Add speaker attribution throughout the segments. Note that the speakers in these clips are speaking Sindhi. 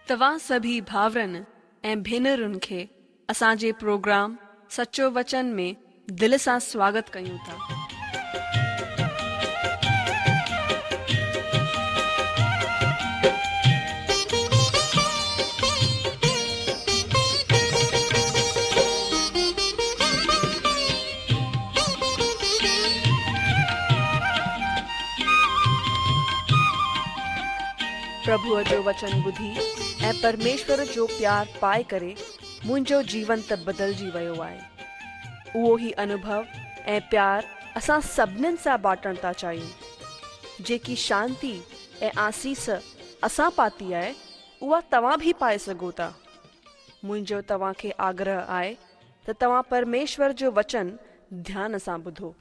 Speaker 1: توهان سڀئي ڀائرن ۽ ڀينرن کي اسان جي پروگرام سچو وچن ۾ دل سان سواگت ڪيون ٿا. پرڀوء جو وچن ٻڌي ۽ پرميشور جو پيار پائي ڪري منهنجو جيون ته بدلجي ويو آهي. اهو ئي انوڀو ۽ پيار اسان سڀنين سان بانٽڻ ٿا چاهيون. جيڪي شانتي ۽ آسيس اسان پاتي آهي، اها توهان به پائي سگهو ٿا. منهنجو توهان کي آگرهه آهي ته توهان پرميشور جو وچن ڌيان سان ٻڌو.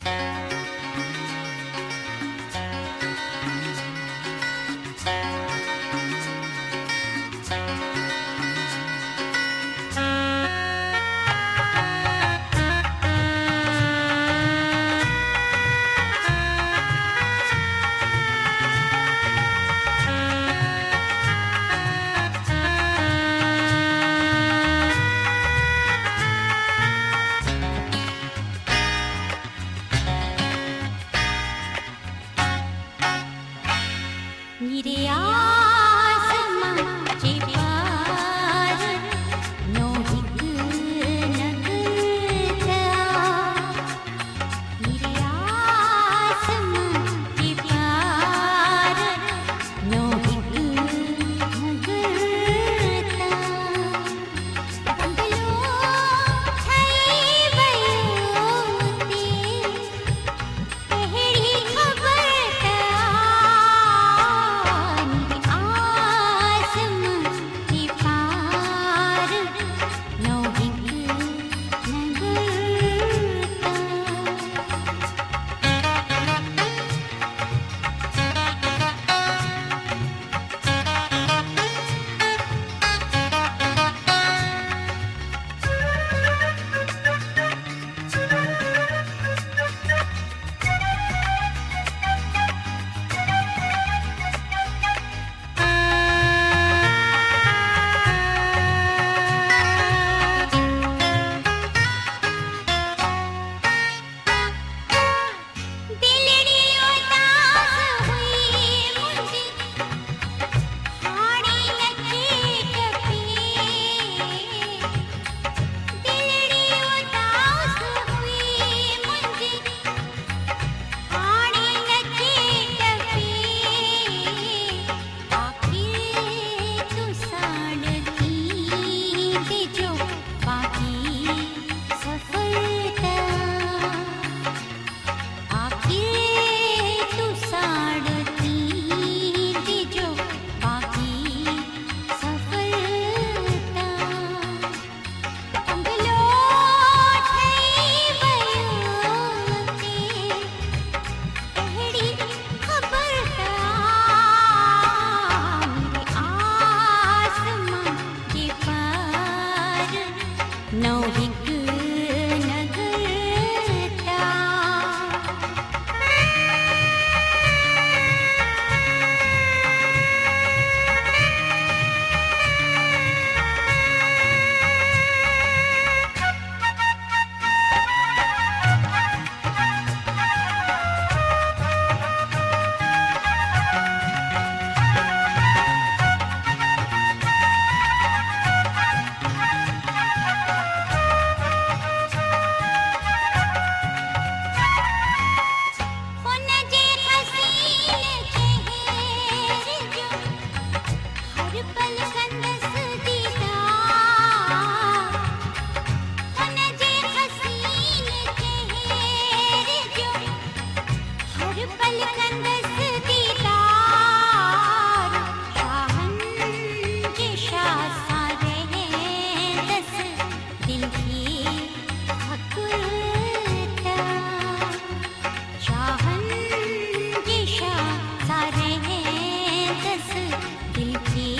Speaker 2: दिल के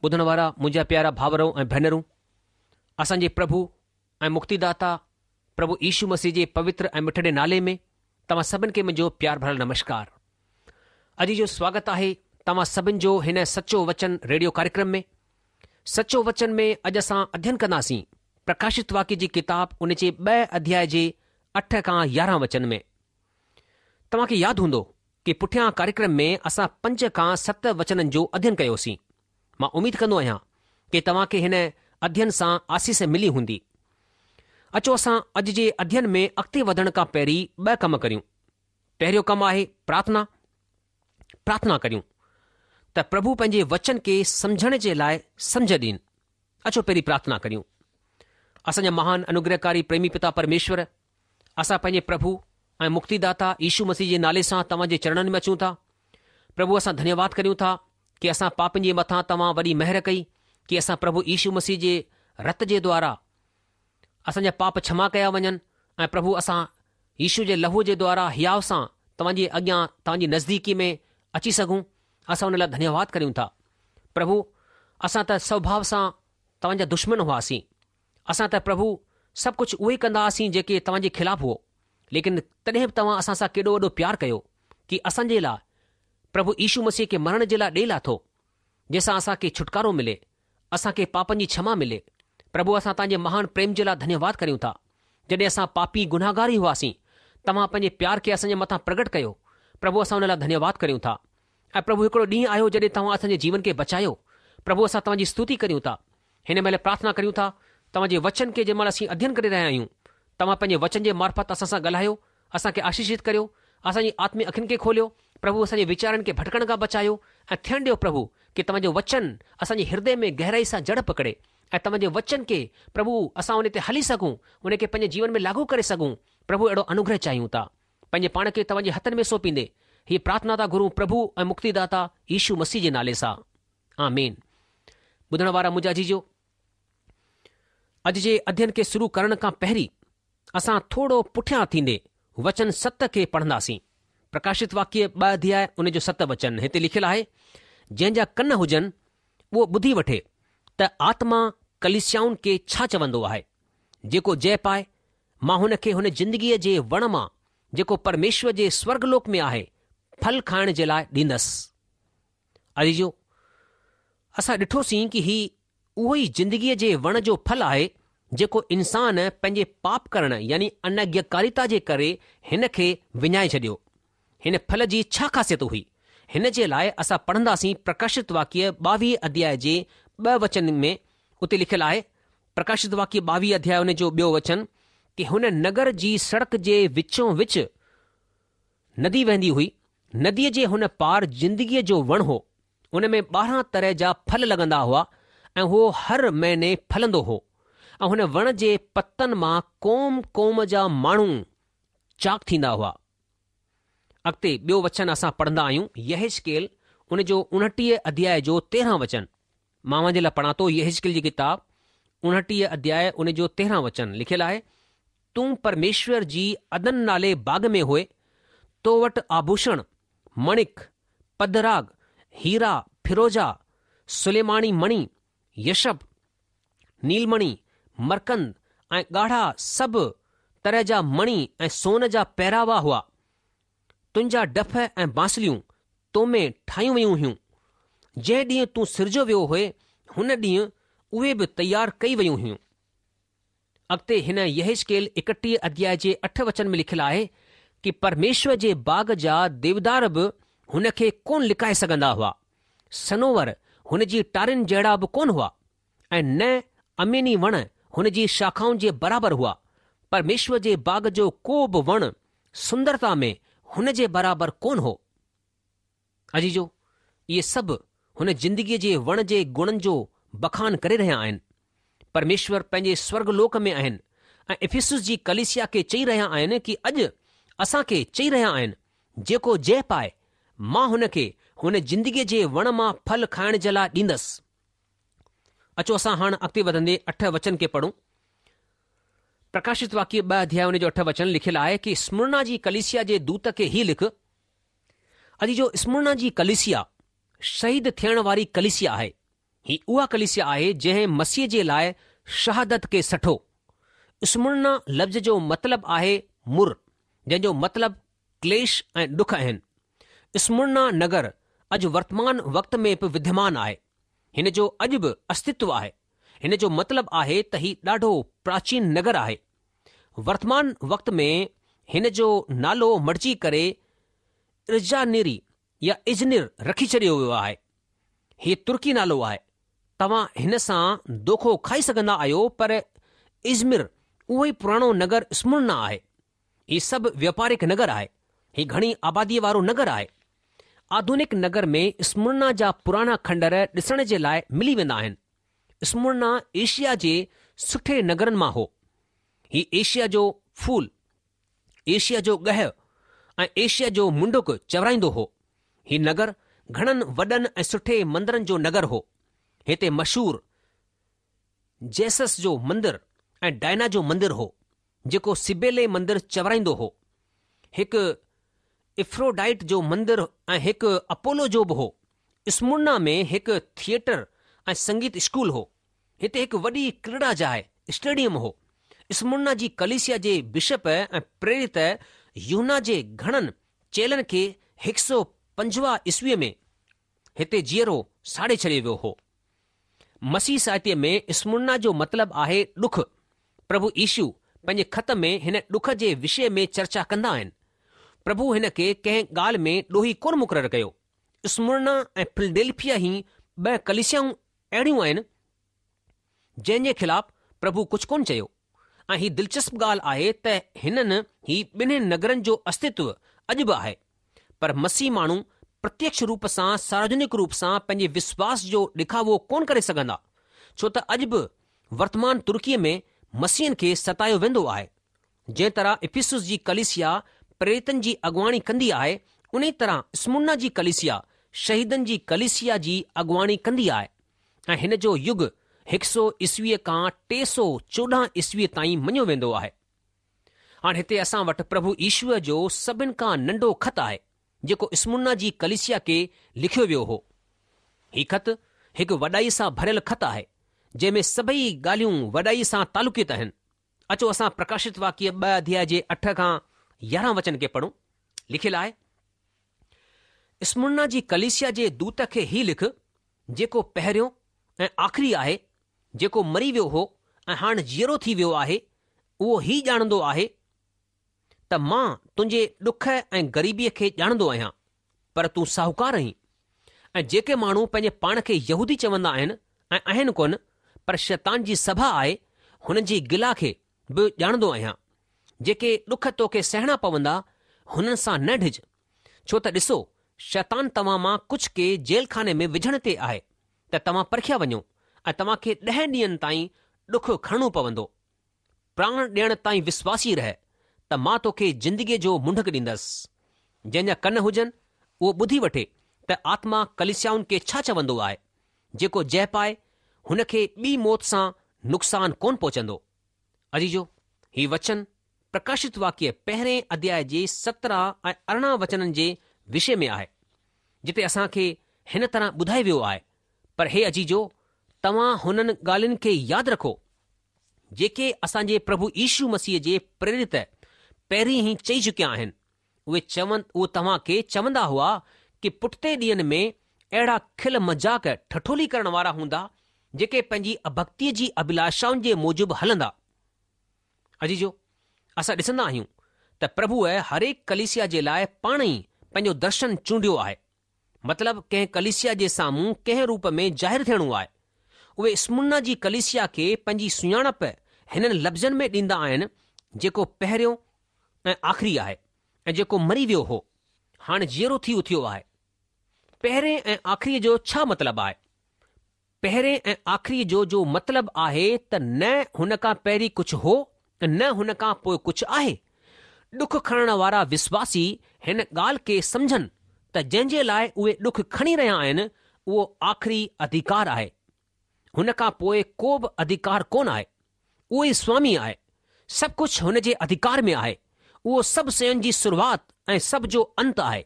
Speaker 2: ٻڌڻ وارا منهنجا پيارا ڀاورو ۽ ڀينرون، اسان جي پرڀو ۽ مڪتيداتا پرڀو يشو مسيح جي پوتر ۽ مٺڙي نالي ۾ توهان سڀن کي منهنجو پيار ڀريل نمشڪار. اڄ جو سواگت آهي توهان سڀن جو هن سچو وچن ريڊيو ڪاريڪرم ۾. سچو وچن ۾ اڄ اسان اڌين ڪنداسين پرڪاشت واڪيه جي ڪتاب ان جي ٻئي اڌياء جي اٺ کان 11 وچن ۾. توهان کي ياد هوندو ڪي پٺيان ڪاريڪرم ۾ اسان پنج کان ست وچنن جو اڌين ڪيوسين. مان اميد ڪندو آهيان ڪي توهان کي هن اڌين سان آسيس ملي هوندي. اچو اسان اڄ جي اڌين ۾ اڳتي وڌڻ کان پهرين ٻه ڪم ڪريون. پهريون ڪم آهي پرارٿنا. پرارٿنا ڪريون ته پرڀو پنهنجي وچن کي سمجهڻ جي لاء سمجهه ڏين. اچو پهرين پرارٿنا ڪريون. اسان جا مهان انوگرهڪاري پريمي پتا پرميشور، اسان پنهنجي پرڀو ۽ مڪتيداتا يشو مسيح جي نالي سان توهان جي چرڻن ۾ اچون ٿا. پرڀو اسان ڌنيواد ڪريون ٿا ڪي اسان پاپين جي مٿان توهان وڏي مهر ڪئي ڪي اسان پرڀو يشو مسيح جي رت جي دوارا اسان جا پاپ ڇما ڪيا وڃن ۽ پرڀو اسان يشو جي لهوء جي دوارا هياء سان توهان جي اڳيان توهان جي نزديڪي ۾ اچي سگهون اسان ان لاء ڌنيواد ڪريون ٿا. پرڀو اسان ته سوڀاء سان توهان جا دشمن هئاسين. اسان ته پرڀو سڀ ڪجهه اهو ئي ڪندا هئاسين جيڪي توهان جي خلاف هئو، ليڪن تڏهن به توهان اسان سان ڪيڏو وڏو پيار ڪيو ڪي اسان جي لاء پرڀو يشو مسيح کي مرڻ جي لاء ڏئي لاٿو، جنهن سان اسان کي ڇوٽڪارو ملي، اسان کي پاپن جي ڇما ملي. پرڀو اسان توهان جي مهان پريم جي لاء ڌنيواد ڪريون ٿا. جڏهن اسان پاپي گنهگار ئي هئاسين، توهان پنهنجي پيار کي اسان جي مٿان پرگٽ ڪيو. پرڀو اسان ان لاء ڌنيواد ڪريون ٿا. ۽ پرڀو هڪڙو ڏينهن آيو جڏهن توهان اسان جي جيون کي بچايو. پرڀو اسان توهان جي ستوتي ڪريون ٿا. هن مهل پرارٿنا ڪريون ٿا، توهان جي وچن کي جنهن مهل اسين اڌين ڪري رهيا آهيون، توهان پنهنجي وچن جي معرفت اسان سان ڳالهايو، اسان کي آشيشت ڪريو، اسان جي آتمي اکين کي کوليو، پرڀو اسان جي ويچارن کي ڀٽڪڻ کان بچايو ۽ ٿيڻ ڏيو پرڀو ڪي توهان جو وچن اسان جي هردي ۾ گهرائي سان جڙ پڪڙي ۽ توهان جي وچن کي پرڀو اسان ان تي هلي سگهون، ان کي پنهنجي جيون ۾ لاڳو ڪري سگهون، پرڀو اهڙو انوگره چاهيون ٿا. پنهنجي پاڻ کي توهان جي هٿن ۾ سونپيندي هيء پرارٿنا ٿا گهرون پرڀو ۽ مڪتيداتا يشو مسيح جي نالي سان. آمين. ٻڌڻ وارا منهنجا عزيزو، اڄ جي اڌين کي شروع ڪرڻ کان پهرين اسان ٿورو پٺيان ٿيندي وچن ست کي پڙهنداسين. پرڪاشت واڪيه ٻه اڌياء ان جو ست وچن هتي لکيل آهي، جنهن جا ڪن هجن اهو ٻڌي وٺي ته آتما ڪليسيائن کي ڇا چوندو آهي. جيڪو جئه پائي مان هن کي هن زندگيء جي وڻ مان، جيڪو پرميشور جي سورڳ لوڪ ۾ آهي، ڦل کائڻ جي لاء ڏيندس. عزيزو! اسان ڏٺوسين ڪي هي اهو ئي زندگيء جي وڻ جو ڦل آهي، جيڪو انسان پنهنجي پاپ ڪرڻ يعني اناگياڪاريتا جي ڪري هن کي وڃائي ڇڏيو. هن ڦل جي ڇا خاصيت هئي؟ هن جي لاء اسان پڙهنداسين پرڪاشت واڪيه ٻاويهه اڌياء جي ٻه وچن ۾ اتي لکيل آهي، پرڪاشت واڪيه ٻاويهه اڌياء ان جو ٻيو وچن ڪي هن نگر جي سڙڪ جي وچون وچ ندي وهندي هئي، نديء جي هن پار زندگيء جو وڻ هو، ان ۾ 12 طرح جا ڦل لڳندا هئا ۽ اهو هر مهيني ڦلندو هو ۽ هن وڻ جي پتن مان قوم قوم جا ماڻهو چاڪ ٿيندا هئا. اڳتي ٻيو وچن اسان پڙهندا آهيون يحيزڪيل ان جو 29 اڌياء جو 13 وچن. مان اوهان جي لاء پڙهان ٿو يحيزڪيل جي ڪتاب 29 اڌياء ان جو 13 وچن لکيل آهي، تون پرميشور جي عدن نالي باغ ۾ هئي، تو وٽ آڀوشڻ، مڻڪ، پدراڳ، هيرا، فيروزا، سليماني مڻي، يشب، نيلمڻي، مرڪند ۽ ڳاڙها سڀ طرح جا مڻي ۽ سون جا پهراوا هئا. تنهنجا ڊف ۽ بانسليون تو ۾ ٺاهيون ويون هيون. جنهن ڏينهن تون سرجيو ويو هئي، هن ڏينهن اهي به تيار ڪئي ويون هيون. اڳتي هن يحيزڪيل 31 اڌياء جي اٺ وچن ۾ لکيل آهي ڪي پرميشور جي باغ جا ديودار به هن کي ڪونه لڪائي سگهندا هئا. صنوبر هن جي ٽارين جهڙا به ڪونه هئا ۽ نه اميني وڻ هن جي شاخائن جي برابر هئا. پرميشور جي باغ جو ڪو به وڻ سندرتا ۾ هن جي برابر ڪونه هو. عزيزو، اهي سڀ هن زندگيء جي وڻ جي گڻن جو بکان ڪري رهيا آهن. پرميشور پنهنجي سورڳ لوڪ ۾ آهن ۽ افسس جي ڪليسيا کي چئي رهيا آهن ڪي اڄ اسان کي چئي رهيا آهن، جيڪو جئه پائي، مان هن کي هن زندگيء جي وڻ مان ڦل کائڻ جي لاء ڏيندس. اچو اسان هاڻ اڳتي وڌندي اٺ وچن کي پڙهون. پرڪاشت واڪيه ٻه اڌياء ان جو اٺ وچن لکيل آهي ڪي اسمرنا جي ڪليسيا جي دوت کي هي لک، عزيزو اسمرنا جي ڪليسيا شهيد ٿيڻ واري ڪليسيا آهي. هي اها ڪليسيا آهي جنهن مسيح جي لاء شهادت کي سٺو. اسمرنا لفظ جو مطلب آهي مر، جنهن جو مطلب ڪليش ۽ ڏک آهن. اسمرنا نگر اڄ ورتمان وقت ۾ به وديمان آهي. هن جو اڄ به استتو آهي. هن جو مطلب آهي ته هي ڏاڍو پراچين نگر آهي. ورتمان وقت ۾ هن جو نالو مٽجي ڪري ارجانيري يا ازنر رکي ڇڏيو ويو آهي. هي ترڪي نالو آهي. توهان هن سان دوکو کائي سگهندا آهيو پر ازمر اهو ئي پراڻو نگر اسمرنا آهي. هي سڀ وياپارڪ نگر آهي. هي گهڻي آباديء وارو نگر آهي. آڌونڪ نگر ۾ اسمرنا جا پراڻا کنڊر ڏسڻ جي لاء ملي ويندا آهن. اسمرنا ايشيا جي سٺي نگرن مان هو. هي ايشيا جو ڦول ايشيا جو ڳهه ۽ ايشيا جو منڊڪ چورائيندو هو. هي نگر گهڻن وڏن ۽ سٺي مندرن جو نگر هو. هتي مشهور زيوس جو مندر ۽ ڊائنا جو مندر هو، جيڪو سبيلي مندر چورائيندو هو. هڪ افروڊائٽ جو مندر ۽ هڪ اپولو جو به هو. اسمرنا ۾ هڪ ٿيئٽر ۽ سنگيت اسڪول هو. هتي هڪ وڏي ڪريڙا جاء، اسٽيڊيم، هو. اسمرنا جي ڪليسيا جي بشپ ۽ پريرت يوحنا جي گهڻن چيلن کي هڪ سو پنجواهه عيسويء ۾ هتي جيئرو ساڙي ڇڏيو ويو هو. مسيح ساهتيه ۾ اسمرنا جو مطلب آهي ڏک. پرڀو يشو پنهنجي خط ۾ هن ڏک جي وشي ۾ چرچا ڪندا آهن. پرڀو هن کي ڪنهن ڳالهه ۾ ڏوهي ڪونه مقرر ڪيو. اسمرنا ۽ فلڊيلفيا هي ٻه ڪليسيائون اهڙيون آهن جنهن جي خلاف پرڀو ڪجهه ڪونه چيو ۽ هي دلچسپ ڳالهه آهي ته هنن هي ٻنهي نگرن جو استتو اڄ به آهي پر مسيح ماڻهو پرتيڪش روپ سان ساروجنڪ روپ سان پنهنجي وشواس جو ڏکاوو ڪونه ڪري سگهندا ڇو ته اڄ به ورتمان ترڪيء ۾ مسيحن کي ستايو ويندو آهي جنهن طرح افسس جي ڪليسيا پريريتن جي اڳواڻي ڪندي آهي، انهي طرح اسمرنا جي ڪليسيا شهيدن جي ڪليسيا جي اڳواڻي ڪندي آهي ۽ هن جو يگ هڪ سو عيسويء کان 314 عيسويء تائين مڃيو ويندو آهي. هاڻ هتي اسان وٽ پرڀو يشوء جو سڀن کان ننڍو خط آهي، جيڪو اسمرنا جي ڪليسيا کي لکيو ويو هو. هي خط هڪ وڏائي سان ڀريل خط آهي، جنهن ۾ سڀئي ڳالهيون وڏائي سان تعلقيت آهن. اچو اسان پرڪاشت واڪيه ٻه اڌياء جي اٺ کان 11 وچن کي پڙهون. لکيل آهي، اسمرنا جي ڪليسيا جي دوت کي هي لک، جيڪو پهريون ۽ آخري آهي، جيڪو مري ويو هو ۽ هاڻ جيئرو ٿي ويو آهي، اهو هي ڄاڻندو آهي ته مان تنهنجي ڏک ۽ غريبيء کي ڄاڻندو آهيان، پر تون ساهوڪار آهين. ۽ جيڪي ماڻهو پنهنجي پاڻ کي يهودي چوندا آهن ۽ آهن ڪونه، پر شيطان جي سڀا آهي، هنن جي گلا کي به ڄاڻندو آهيان. جيڪي ڏک توکي سهڻا پوندا، هنن سان نه ڊڄ. ڇو ته ڏسو، شيطان توهان مان ڪجهه کي جيل خاني ۾ وجهڻ تي آهي، ته توهان پرکيا وڃو، ۽ توهان کي ڏهن ڏينهن تائين ڏک کڻڻو پوندو. پراڻ ڏيڻ تائين وشواسي رهه ته مان توکي زندگيء جو منڍڪ ڏيندس. جنهن جا ڪن هجن، اهو ٻڌي وٺي ته آتما ڪليسيائن کي ڇا چوندو آهي. جيڪو جئه پائي، هن کي ٻي موت سان نقصان ڪونه پهچندو. عزيزو، هي وچن پرڪاشت واڪيه پهرئين اڌياء جي 17 ۽ 18 وچنن جي وشي ۾ آهي، جتي اسان کي هن طرح ٻڌايو ويو آهي، پر هي عزيزو، توهان هنن ڳالهين کي ياد رکو، جيڪي اسان جي پرڀو يشو مسيح جي پريرت پهرين ئي چئي چڪيا آهن، اهي چون اهو توهان کي چوندا هئا ڪي پٺتي ڏينهن ۾ اهڙا کل مذاق ٺٺولي ڪرڻ وارا هوندا جيڪي پنهنجي اڀڪتيء جي اڀلاشائن جي موجب هلندا. عزيزو، اسان ڏسندا آهيون ته پرڀوء هرهڪ ڪليسيا جي لاء پاڻ ئي پنهنجو درشن چونڊيو آهي. مطلب ڪنهن ڪليسيا جي سامهون ڪنهن روپ ۾ ظاهر ٿيڻو آهي. اهي اسمرنا جي ڪليسيا کي پنهنجي سڃاڻپ هنن لفظن ۾ ڏيندا آهن جيڪو پهريون ۽ آخري آهي ۽ جيڪو مري ويو هو، هاڻ جيئرو ٿي اٿيو آهي. پهرين ۽ آخريء جو ڇا مطلب آهي؟ پهرين ۽ آخري جو جو مطلب آهي ته نه هن کان پهرين ڪجهه هو ۽ نه هن کان پوء ڪجهه آهي. ڏک کڻڻ وارا وشواسي هن ڳالهه کي سمجهن ته جنهن جي لاء اهي ڏک کڻي رهيا آهن اهو آخري اڌيڪار آهي. هن کان پوء ڪو به اڌيڪار ڪونه آهي. اهو ئي سوامي آهي. سڀ ڪجهه هن جي اڌيڪار ۾ آهي. اهو سڀ شين جي شروعات ۽ سڀ جو انت آهي.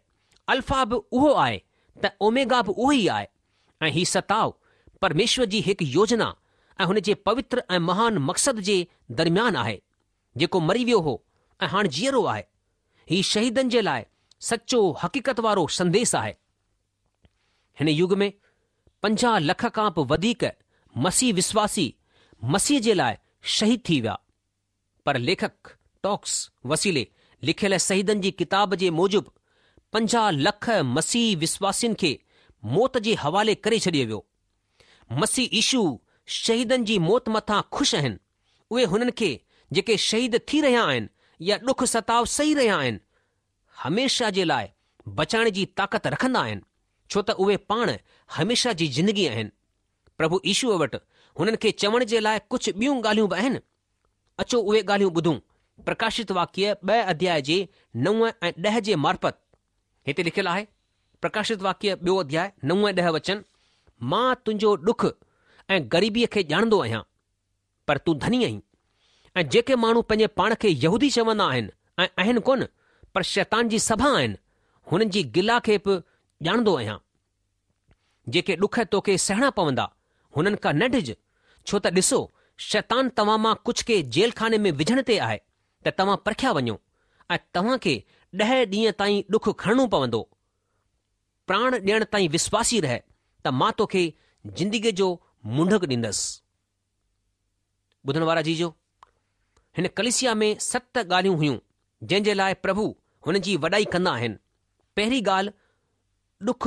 Speaker 2: الفا به اهو آهي ته اوميگا به اهو ئي آهي. ۽ هي ستاء پرميشور جي هڪ يوجنا ۽ هن جي پوتر ۽ مهان مقصد جي درميان آهي، جيڪو مري ويو هو ۽ هاڻ جيئرو آهي. هي شهيدن جي لاء سچو حقيقت وارو سنديس آهي. هن يگ ۾ 50 لک کان به وڌيڪ مسيح وسواسي مسيح جي لاء شهيد ٿي ويا. پر ليکڪ ٽاڪس وسيلي لکيل شهيدن جي ڪتاب جي موجب 50 لک مسيح وسواسين کي موت جي حوالي ڪري ڇڏيو ويو. مسيح يشو شهيدن جي موت مٿان خوش آهن. اهي هنن کي جيڪي شهيد ٿي رهيا آهن يا ڏک ستاء سهي رهيا آهن، هميشه جي لاء بچائڻ جي طاقت رکندا آهن، ڇو ته اهي پاڻ هميشه جي زندگي آهن. پرڀو يشوء وٽ هنن کي چوڻ جي لاء ڪجهه ٻيون ڳالهيون به آهن. اچو اهي ڳالهيون ٻڌون پرڪاشت واڪيه ٻه اڌياء جي نو ۽ ڏهه جي معرفت. هتي لکيل آهي، پرڪاشت واڪيه ٻيو اڌياء نو ۽ ڏهه وچن، مان تنهنجو ڏک ۽ غريبيء کي ڄاڻندو آهيان، پر تون ڌني آهين. ۽ جيڪي ماڻهو پنهنجي پاڻ کي يهودي چوندا آهن ۽ آهن ڪونه، پر شيطان جي سڀا آهن، هنن جي گلا کي به ڄاڻندو آهيان. جيڪي ڏک توکي سهڻا پوندا، هنن کان نه ڊڄ، ڇو ته ڏسو، شيطان توهان مان ڪجهه کي جيل خاني ۾ وجهڻ تي آهي، ته توهان پرکيا وڃو، ۽ توهان کي ڏهه ڏينهن تائين ڏک کڻڻو پوندو. پراڻ ڏيڻ تائين وسواسي رهه، ته مان توکي زندگيء جو منڍڪ ڏيندس. ٻڌڻ وارا عزيزو! هن ڪليسيا ۾ ست ڳالهيون هيون، جنهن جي لاء پرڀو هن جي وڏائي ڪندا آهن. پهرين ڳالهه ڏک،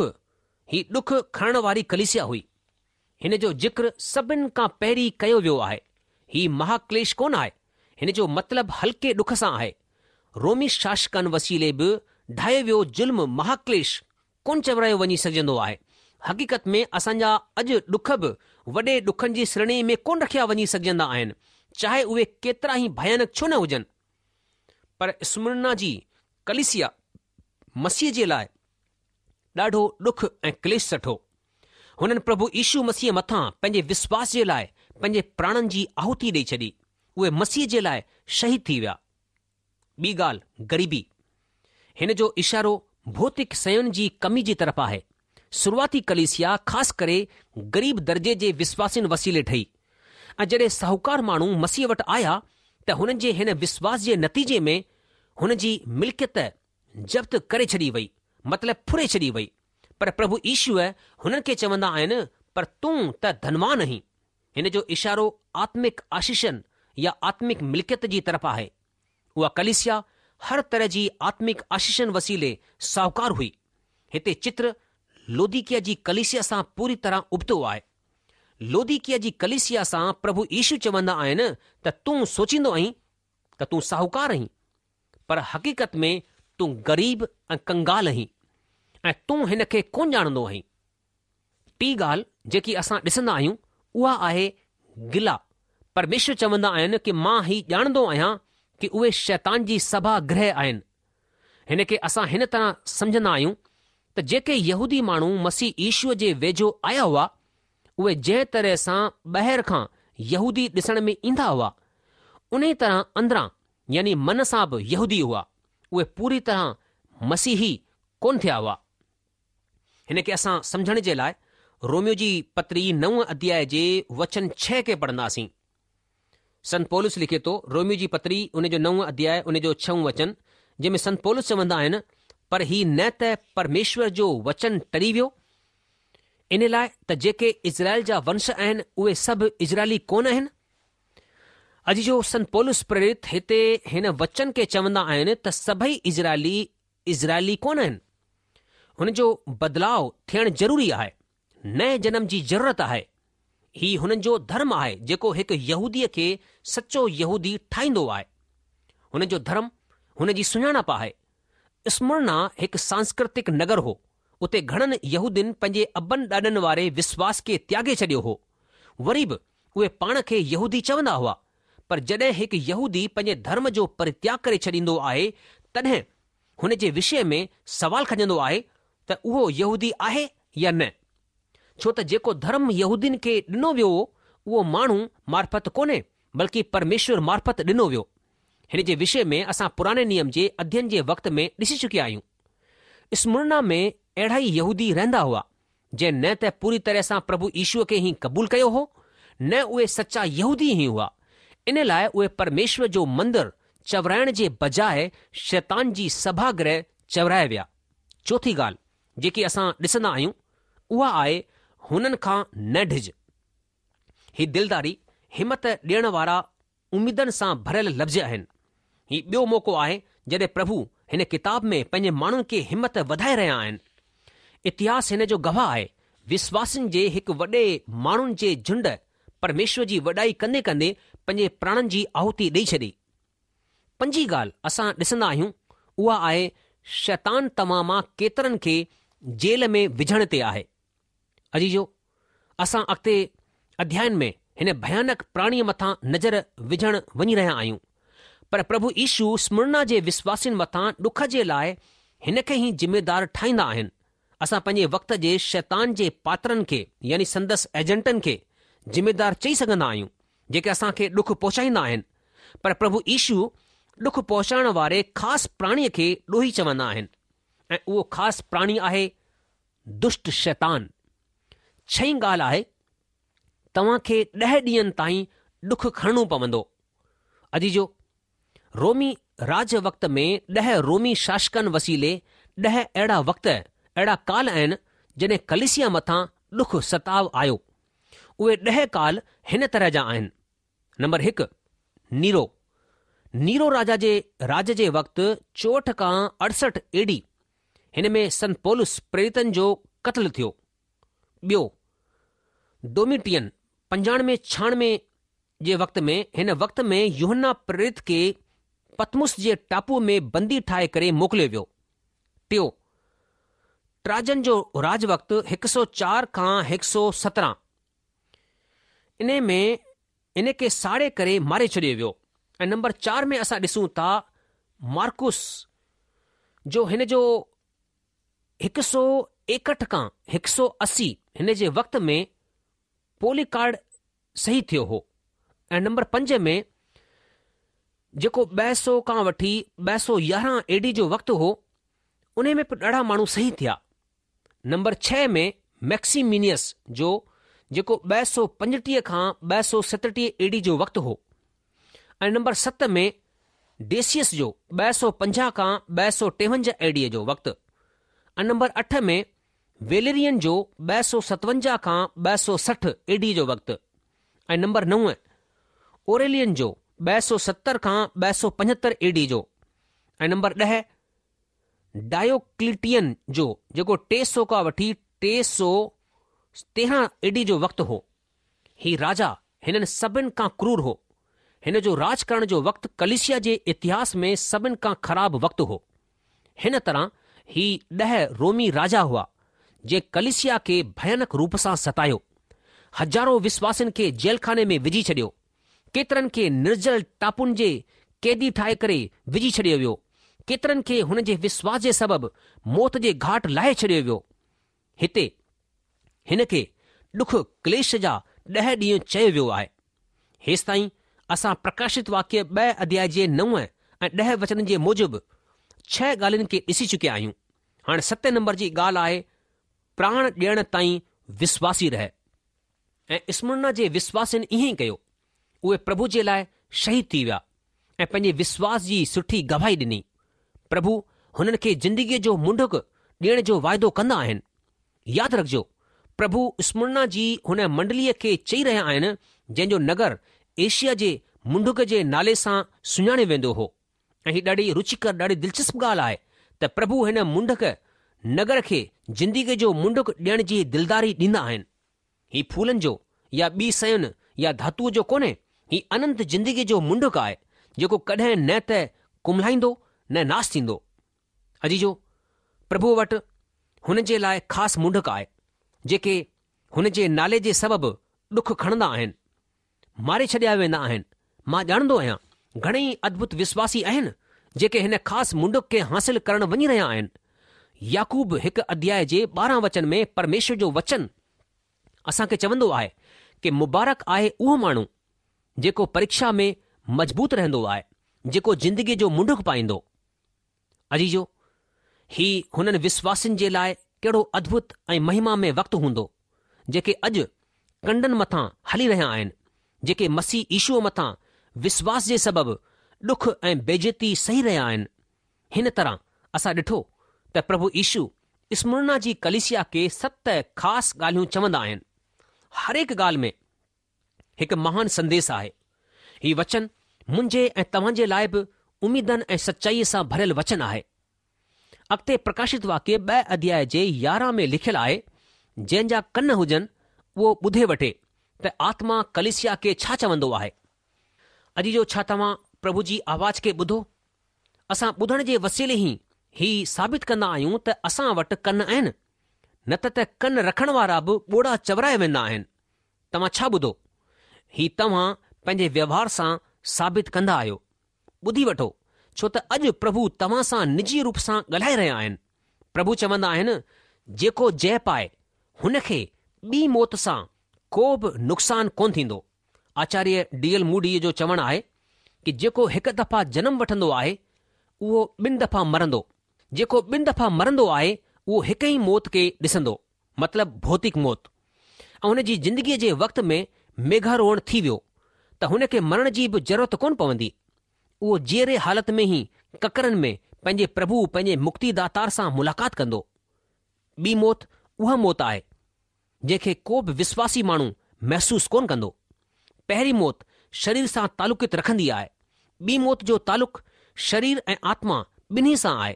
Speaker 2: هي ڏک کڻڻ واري ڪليسيا هئي. هن جو ذڪر سڀن کان پهرين ڪيو ويو آهي. هي مهاڪليش ڪونه آهي. هن جو مطلب هلڪي ڏک سان آهي. رومي شاشڪن وسيلي به ڍايو ويو ظلم مهاڪليش ڪونه چورايو وڃي سگهجندو آهي. حقيقت ۾ اسان جا اڄ ڏک به وڏي ڏکن جي شريڻي ۾ ڪونه رکيا وڃي سگهجندا آهن، چاهي اهي ڪيترا ئي ڀيانڪ ڇو نه هجن. پر اسمرنا جي ڪليسيا مسيح جي لاء ڏاڍو ڏک ۽ ڪليش سٺو. هنن پرڀو يشو مسيح مٿان پنهنجي وسواس جي لاء پنهنجي پراڻن جي آهوتي ڏئي ڇڏي. اهي مسيح جي لاء شهيد ٿي ويا. ٻي ڳالهه غريبي. هن جو اشارو ڀوتڪ شين جي ڪمي جي طرف آهي. شروعاتي ڪليسيا خاص ڪري غريب درجي جي وسواسين وسيلي ٺهي ۽ جڏهن ساهوڪار ماڻهو مسيح وٽ آيا ته هنن جي هن وسواس جي نتيجي ۾ هن جي ملڪيت ضبط ڪري ڇڏي وئي مطلب ڦري ڇڏي وئي پر پرڀو يشو هنن کي چوندا آهن پر تون ته ڌنوان آهين. هن جو اشارو آتمڪ آشيشن يا آتمڪ ملڪيت جي طرف آهي. اها ڪليسيا هر طرح جي آتمڪ آشيشن وسيلي ساهوڪار هئي. هتي چتر لوديڪيا جي ڪليسيا سان پوري طرح ابتو آهي. لوديڪيا جي ڪليسيا سان پرڀو يشو چوندا آهن ته تون سوچيندو آهين ته تون ساهوڪار آهين پر حقيقت ۾ تون غريب ۽ ڪنگال آهين ۽ تون هن کي ڪونه ڄاڻندو آهين. ٽين ڳالهه جيڪي اسان ڏسندا آهيون اها آهي گلا. پرميشور چوندا آهن ڪي مان هي ڄاڻندو آهيان ڪي اهي شيطان جي سڀا گرهه آهن. هن کي اسان هن طرح سمجهندا آهيون ته جيڪي يهودي ماڻهو مسيح يشوء جي ويجهو آيا هئا اهي جنهن طرح سان ٻاهر کان يهودي ڏسڻ ۾ ايندا هئا انهي طرح اندران يعني من سان به يهودي هئا. اهي پوري طرح مسيحي ڪونه ٿيا هئا. هن کي اسان سمجهڻ جي لاء روميو جي پتري نو اڌياء جي وچن ڇهه کي پڙهنداسين. سنت پولس لکي ٿو، روميو جي پتري ان جو نو اڌياء ان جو ڇهون وچن، جنهن ۾ سنت پولس چوندا آهن، پر هي نه ته پرميشور جو وچن ٽري ويو، ان لاء ته جيڪي اسرائيل جا ونش آهن اهي سڀ اسرائيلي ڪونه آهن. عزيزو سنت پولس پريرت هتي هن وچن کي چوندا آهن ته سڀئي اسرائيلي اسرائيلي ڪونه آهن. هن جو بدلاء ٿيڻ ضروري آهي. نئين جنم جي ضرورت آهي. هي هنن جو ڌرم آهي جيڪو هڪ يهوديء کي سچو يهودي ٺاهيندو آهي. هن جو ڌرم هن جي سڃاڻپ آهي. اسمرنا هڪ سانسڪرتڪ نگر هو. اتي گهڻن يهودين پنهنجي ابن ڏاڏن واري وسواس کي تياڳي ڇڏيو هو. وري به اهي پاڻ کي يهودي چوندا هئا. پر جڏهن هڪ يهودي پنهنجي ڌرم جو پرتياڳ ڪري ڇڏيندو آهي، تڏهن هن جي وشي ۾ سوال کڄندو آهي ته اهو يهودي آهي يا نه؟ ڇو ته جيڪو ڌرم يهودين کي ڏنو ويو اهو ماڻهو معرفت ڪونهي، بلڪه پرميشور معرفت ڏنو ويو. هن جي وشي ۾ اسان پراڻي نيم جي اڌين جي وقت ۾ ڏسي چڪيا آهيون. اسمرنا ۾ اهڙا ئي يهودي رهندا هئا. جنهن نه ته پوري طرح سان پرڀو يشوء کي ئي قبول ڪيو هو، نه اهي سچا يهودي ئي هئا. ان لاء اهي پرميشور جو مندر چورائڻ جي بجاء شيطان جي سڀا گرهه چورائي ويا. چوٿين ڳالهه جيڪي اسان ڏسندا آهيون، اها آهي هنن کان نه ڊڄ. هي دلداري، همت ڏيڻ وارا اميدن سان ڀريل لفظ آهن. هي ٻيو موقعو آهي جڏهن پرڀو هن ڪتاب ۾ پنهنجي ماڻهن کي همت وڌائي رهيا آهن. اتهاس هن جو گواهه آهي. وشواسين جي هڪ وڏي ماڻهن جي جهنڊ پرميشور جي وڏائي ڪندي ڪندي پنهنجي پراڻن جي آهوتي ڏئي ڇڏي. پنجين ڳالهه اسان ڏسندا آهيون اها آهي شيطان توهان مان ڪيترن کي جيل ۾ وجهڻ تي آهي. عزيزو! اسان اڳتي اڌيائن ۾ هن ڀيانڪ پراڻيء مٿان نظر وجهڻ وڃي رهيا آهيون. پر پرڀو يشو اسمرنا جي وشواسين مٿان ڏک جي لاء هن کي ئي ذميدار ٺاهيندا آهن. اسان پنهنجي وقت جي شيطان جي پاترن کي يعني سندس ايجنٽن کي ذميدار چئي سگهندا آهيون، جيڪي اسان کي ڏک پهچائيندا آهن. پر پرڀو يشو ڏک پهچائڻ واري خاص پراڻيء کي ڏوهي چوندا آهن ۽ اهو خاص پراڻي آهي دشٽ شيطان. ڇهين ڳالهه آهي، توهان کي ڏهه ڏينهن تائين ڏک کڻڻو پوندو. عزيزو! رومي راڄ وقت ۾ ڏهه رومي شاشڪن وسيلي ڏهه اهڙا وقت، اهڙا ڪال آهن، جڏهن ڪليسيا مٿان ڏک ستاء آيو. اهي ڏهه ڪال هن طرح جا آهن. نمبر هڪ، نيرو، نيرو راجا جي راڄ جي وقت 64 کان 68 اي ڊي هن ۾ سنت پولس پريريتن جو قتل ٿيو. ٻيو، ڊوميٽين 95 96 جي وقت ۾ هن وقت ۾ يوحنا پريرت کي پطمس جي ٽاپوء ۾ بندي ٺاهي ڪري موڪليو ويو. ٽيو، ٽراجن جو راڄ وقت 104 کان 117 انهي ۾ ان کي ساڙي ڪري ماري ڇڏيو ويو ۽ نمبر چار ۾ اسان ڏسون ٿا مارڪوس جو هن جو هڪ سو ايڪهٺ کان هڪ سو 80 هن جي وقت ۾ پوليڪارڊ شهيد ٿيو هو ۽ نمبر پنج ۾ جيڪو ٻه سو کان وٺي 211 اي ڊي جو وقت هو انهي ۾ به ڏاڍا ماڻهو شهيد ٿيا. نمبر ڇهه ۾ ميڪسيمينيس جو جيڪو 235 کان 237 اي ڊي جو وقت هو ۽ نمبر ست ۾ ڊيسيس جو 250 کان 253 اي ڊي جو وقت ۽ نمبر اٺ ۾ ويليرين جو 257 کان 260 اي ڊي جو وقت ۽ نمبر نو اوريلين جو 270 کان 275 اي ڊي جو ۽ نمبر 10 ڊايوڪليٽين جو جيڪو 300 کان وٺي 313 اي ڊي جو وقت هو. هي راجا هنن سڀن کان ڪرور هو. هن جو راڄ ڪرڻ جو وقت ڪليسيا جي اتهاس ۾ سڀن کان خراب وقت هو. هن طرح هي ڏهه رومي راجا هئا، جنهن ڪليسيا کي ڀيانڪ روپ سان ستايو. هزارو وشواسين کي جيلخاني ۾ وجهي ڇڏيو. ڪيترن کي نرجل ٽاپن جي قيدي ٺاهي ڪري وجهي ڇڏيو ويو. ڪيترن کي هن جي وشواس جي سبب موت جي گهاٽ لاهي ڇڏيو ويو. هتي هن کي ڏک ڪليش جا ڏهه ڏينهن چيو ويو آهي. هيستائين اسان پرڪاشت واڪيه ٻه اڌياء جي نو ۽ ڏهه وچنن جي موجب ڇهه ڳالهين کي ڏسي چڪيا آهيون. هاڻي ستين نمبر جي ڳالهه آهي پراڻ ڏيڻ تائين وشواسي رهه. ۽ اسمرنا جي وشواسين ائين ئي ڪيو. اهي پرڀو جي لاء شهيد ٿي ويا ۽ پنهنجي وشواس جي سٺي گواهي ڏني. پرڀو هنن کي زندگيء جو منڍڪ ڏيڻ جو واعدو ڪندا آهن. ياد رکجو، پرڀو اسمرنا جي هن منڊليء کي چئي رهيا آهن، جنهن جو نگر ايشيا جي منڍڪ جي نالي سان سڃاڻيو ويندو هو. ۽ هي ڏاڍي رچيڪر، ڏاڍي دلچسپ ڳالهه آهي ته پرڀو هن منڍڪ نگر کي زندگيء جو منڍڪ ڏيڻ جي دلداري ڏيندا آهن. هي ڦولن جو يا ٻي شين يا ڌاتوء جو ڪونهي، هي اننت زندگيء جو منڍڪ آهي، جيڪو ڪڏهن نه ته ڪملهائيندو نه ناس ٿيندو. عزيزو، پرڀوء وٽ هن جي لاء خاص منڍڪ آهي، جيڪي هن جي نالي جي سبب ڏک کڻندا آهن. ماري ڇڏيا ويندا آهن. مان ڄاڻندو آهيان، گهڻيئي ادڀت وشواسي آهن، جيڪي هن خاص منڍڪ کي حاصل ڪرڻ وڃي رهيا آهن. يعقوب هڪ اڌياء جي 12 وچن ۾ پرميشور جو وچن اسان کي چوندو آهي ڪي مبارڪ آهي اهو ماڻهو، جيڪو پريڪشا ۾ مضبوط رهندو آهي، جيڪو زندگيء جو منڍڪ پائيندو. عزيزو! هي هنن وشواسين جي لاء ڪهڙو ادڀت ۽ مهما مئي وقت هوندو، جيڪي اڄ ڪنڊن مٿان هلي رهيا آهن، جيڪي مسيح يشوء مٿان وسواس جي سبب ڏک ۽ بيعزتي سهي رهيا آهن. هن طرح اسان ڏٺو ته پرڀو يشو اسمرنا جي ڪليسيا کي ست خاص ڳالهيون چوندا آهن. هرهڪ ڳالهه ۾ هڪ مهان سنديس آهي. هي وچن منهنجي ۽ توهان جي لاء به اميدن ۽ سچائيء سان ڀريل وچن آهي. اڳتي پرڪاشت واڪيه ٻه اڌياء جي 11 ۾ لکيل آهي، جنهن جا ڪن هجن اهو ٻڌي وٺي ته آتما ڪليسيا کي ڇا چوندو آهي. عزيزو ڇا توهان پرڀو جي آواز کي ٻڌو؟ اسان ٻڌڻ جي وسيلي ئي هي ثابت ڪندا آهيون ته اسان وٽ ڪن آهن، نه ته ته ڪن رکڻ وارا به ٻوڙا چورائي ويندا آهن. توهان ڇا ٻڌو؟ هي توهان پنهنجي ويوهار سان ثابت ڪندا آهيو. ٻڌي وٺو، ڇو ته اڄ پرڀو توهان سان نجي روپ سان ڳالهائي رهيا آهن. پرڀو چوندا آهن، جيڪو جئه پائي، هن کي ٻي موت سان ڪو به نقصان ڪونه ٿيندو. آچاريه ڊي ايل موڊيء جو چوڻ آهي ڪه جيڪو هڪ دفعا جنم وٺندو آهي، اهو ٻن دفعا مرندو. جيڪو ٻن دفعا مرندو آهي، اهو هڪ ئي موت کي ڏسندو. مطلب ڀوتڪ موت ۽ هن جي زندگيء جي وقت ۾ ميگهاروهڻ ٿي ويو ته هن کي مرڻ جي به ضرورت ڪونه پوندي. اهو جيئري حالت ۾ ئي ڪڪرن ۾ پنهنجي پرڀو پنهنجي مڪتي داتار سان ملاقات ڪندو. ٻي موت اها موت آهي جنهن کي ڪو به وسواسي ماڻهو محسوس ڪونه ڪندو. پهرين موت شرير سان تعلقيت رکندي آهي. ٻي موت جو تعلق شرير ۽ آتما ٻنهي سان آهي.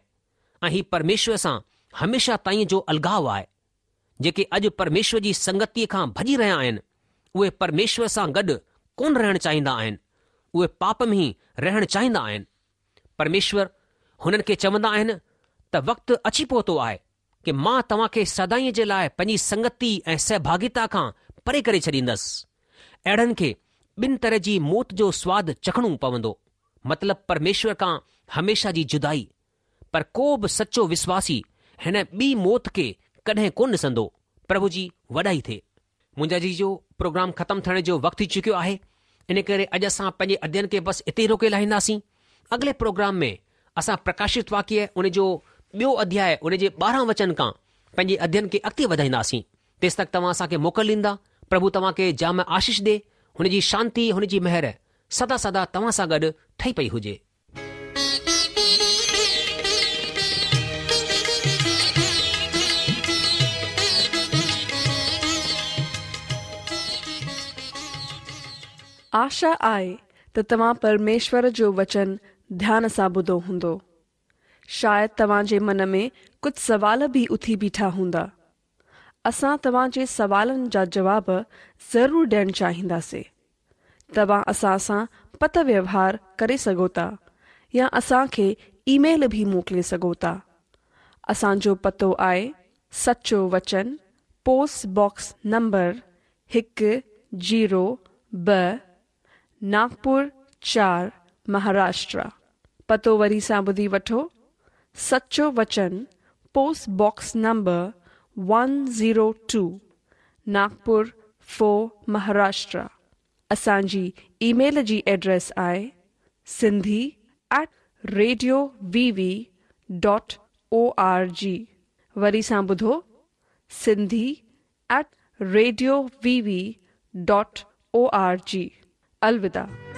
Speaker 2: ۽ هي پرميشور سان هميشه تائين جو الڳاء آهي. جيڪي اڄ پرميشور جي سنگتيء کان ڀڄي رهيا آهن، اهي پرميشور سان گڏ ڪونه رهڻ چاهيندا آهن، اهي پاپ ۾ ئي رهڻ چاهيندا آهن. پرميشور هنن کي چوندا آهن ته وقت اچي پهتو آهي ڪه مان توهان کي سدائين جي لاء پنهنجي سنگتي ۽ سهڀاڳيتا کان پري ڪري ڇڏيندس. اهڙن کي ٻن طرح جي موت جو سواد چکڻو پوندو، مطلب پرميشور کان هميشه جي جدائي. پر ڪو به سچو وسواسي هن ٻي موت کي ڪڏهن ڪونه ڏسندو. پرڀو جي وڏائي ٿئي. منهنجا عزيزو پروگرام ختم ٿيڻ جو وقت ٿي چڪيو آهي ان ڪري اڄ اسان پنهنجي اڌيين کي بس اتي ئي روڪي لاهينداسين. اڳلي پروگرام ۾ اسان پرڪاشت واڪيه ان جو ٻيو اڌياء ان جي 12 وچن کان پنهنجي اڌيين کي اڳتي وڌائينداسين. تيستڪ توهان اسان کي موڪل ڏيندا. پرڀو توهان کي جام آشيش ڏي. هن جي شانتي هن جي مهر سدا سدا توهان سان گڏ ٺهي پئي هجي.
Speaker 1: آشا آهي ته توهان پرميشور جو وچن ڌيان سان ٻڌو هوندو. شايد توهان جي من ۾ ڪجهه سوال به اٿي بيٺا هوندا. اسان توهان جي سوالن جا جواب ضرور ڏيڻ چاهينداسين. توهان اسان سان پتر ويوهار ڪري سگهو ٿا يا اسان کي اي ميل به موڪلي سگهو ٿا. اسان جو پتو آهي سچو وچن پوسٽ باڪس نمبر هڪ زيرو ٻه ناگپور چار مهاراشٽرا. پتو وري سان ٻڌي وٺو سچو وچن post box number 102 Nagpur 4 Maharashtra. اسان جي اي ميل جي ايڊريس آهي Sindhi at radio V V dot O R G وري سان ٻڌو Sindhi at radio V V dot O R G. الوداع.